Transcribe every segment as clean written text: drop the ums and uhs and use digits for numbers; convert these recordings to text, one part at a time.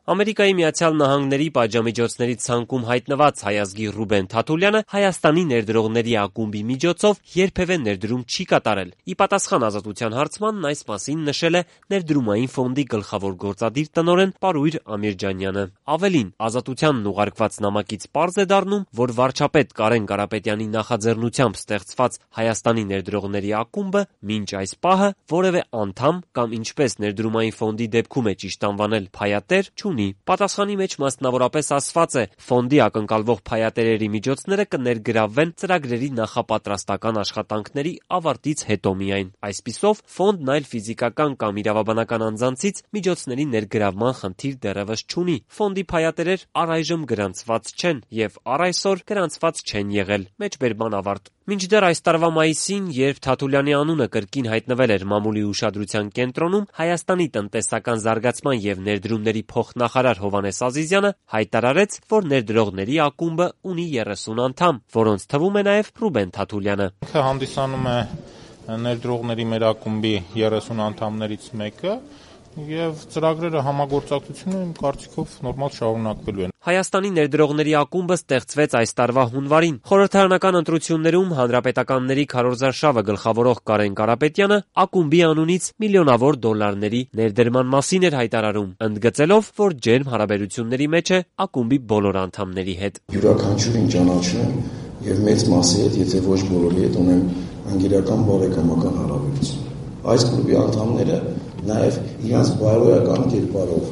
Ամերիկայի Միացյալ Նահանգների պատժամիջոցների ցանկում հայտնված հայ ազգի Ռուբեն Թաթուլյանը Հայաստանի ներդրողների ակումբի միջոցով երբևէ ներդրում չի կատարել։ Ի պատասխան Ազատության հարցմանն այս մասին նշել է Ներդրումային ֆոնդի գլխավոր գործադիր տնօրեն Պարույր Ամիրջանյանը։ Ավելին, Ազատությանն ուղարկված նամակից պարզ է դառնում, որ վարչապետ Կարեն Կարապետյանի նախաձեռնությամբ ստեղծված Հայաստանի ներդրողների ակումբը մինչ այս պահը որևէ անդամ կամ ինչպես Ներդրումային ֆոնդի դեպքում է ճիշտ անվանել փայատեր չունի։ Պատասխանի մեջ մասնավորապես ասված է, ֆոնդի ակնկալվող փայատերերի միջոցները կներգրավվեն ծրագրերի նախապատրաստական աշխատանքների ավարտից հետո միայն։ Այսպիսով, ֆոնդն այլ ֆիզիկական կամ իրավաբանական անձանցից միջոցների ներգրավման խնդիր դեռևս չունի։ Ֆոնդի փայատերեր առայժմ գրանցված չեն եւ առ այսօր գրանցված չեն եղել։ Մեջբերման ավարտ։ Մինչդեռ այս տարվա մայիսին, երբ Թաթուլյանի անունը կրկին հայտնվել էր մամուլի ուշադրության կենտրոնում, Հայաստանի տնտեսական զարգացման եւ ներդրումների փոխնախարար Հովհաննես Ազիզյանը հայտարարեց, որ ներդրողների ակումբը ունի 30 անդամ, որոնց թվում է նաեւ Ռուբեն Թաթուլյանը։ Ինքը հանդիսանում է ներդրողների մեր ակումբի 30 անդամներից մեկը եւ ծրագրերը համագործակցությունը իմ կարծիքով նորմալ շարունակվելու են։ Հայաստանի ներդրողների ակումբը ստեղծվեց այս տարվա հունվարին։ Խորհրդարանական ընտրություններում հանրապետականների քարոզարշավը գլխավորող Կարեն Կարապետյանը ակումբի անունից միլիոնավոր դոլարների ներդրման մասին էր հայտարարում, ընդգծելով, որ ջերմ հարաբերությունների մեջ է ակումբի բոլոր անդամների հետ։ Յուրաքանչյուրին ճանաչում եւ մեծ մասի հետ, եթե ոչ բոլորի հետ ունեմ անգերական բարեկամական հարաբերություն։ Այս կլուբի անդամները նաեւ իրենց բարոյական կերպարով,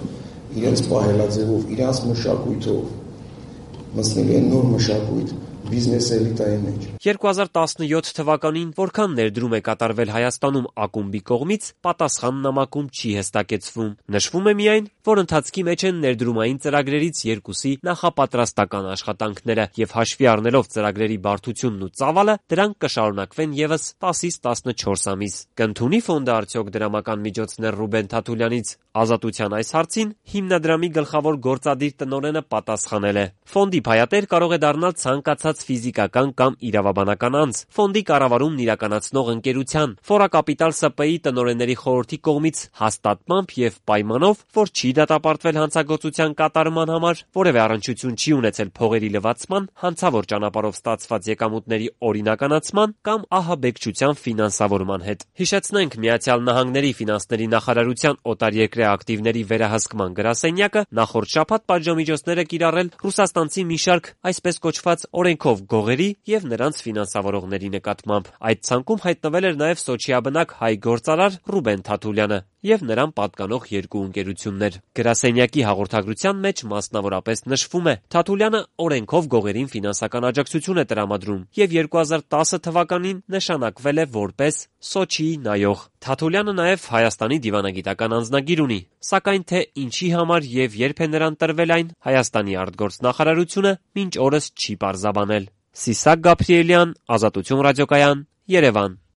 իրենց պահելաձևով, իրենց մշակույթով մտցնել են նոր մշակույթ բիզնես էլիտայի մեջ։ 2017 թվականին որքան ներդրում է կատարվել Հայաստանում ակումբի կողմից, պատասխան նամակում չի հստակեցվում։ Նշվում է միայն, որ ընթացքի մեջ են ներդրումային ծրագրերից երկուսի նախապատրաստական աշխատանքները եւ հաշվի առնելով ծրագրերի բարդությունն ու ծավալը, դրանք կշարունակվեն եւս 10-ից 14 ամիս։ Կընդունի ֆոնդը արդյոք դրամական միջոցներ Ռուբեն Թաթուլյանից։ Ազատության այս հարցին հիմնադրամի գլխավոր գործադիր տնօրենը պատասխանել է. Ֆոնդի փայատեր կարող է դառնալ ցանկացած ֆիզիկական կամ իրավաբանական անձ, ֆոնդի կառավարումն իրականացնող ընկերության, Ֆորակապիտալ ՍՊ-ի տնօրենների խորհրդի կողմից հաստատմամբ եւ պայմանով, որ չի դատապարտվել հանցագործության կատարման համար, որևէ առնչություն չի ունեցել փողերի լվացման, հանցավոր ճանապարհով ստացված եկամուտների օրինականացման կամ ահաբեկչության ֆինանսավորման հետ։ Հիշեցնենք, Միացյալ Նահանգների ֆինանսների նախարարության օտարերկրյա ակտիվների վերահսկման գրասենյակը նախորդ շաբաթ պատժամիջոցներ է կիրառել ռուսաստանցի մի շարք այսպես կոչված օրենքով գողերի եւ նրանց ֆինանսավորողների նկատմամբ։ Այդ ցանկում հայտնվել էր նաեւ Սոչիաբնակ հայ գործարար Ռուբեն Թաթուլյանը եւ նրան պատկանող երկու ընկերություններ։ Գրասենյակի հաղորդագրության մեջ մասնավորապես նշվում է. Թաթուլյանը օրենքով գողերին ֆինանսական աջակցություն է տրամադրում եւ 2010 թվականին նշանակվել է որպես Սոչիի նայող։ Թաթուլյանը նաեւ Հայաստանի դիվանագիտական անձնագիր ունի, սակայն թե ինչի համար եւ երբ է նրան տրվել այն, Հայաստանի արտգործնախարարությունը մինչ օրս չի պարզաբանել։ Սիսակ Գաբրիելյան, Ազատություն ռադիոկայան, Երևան։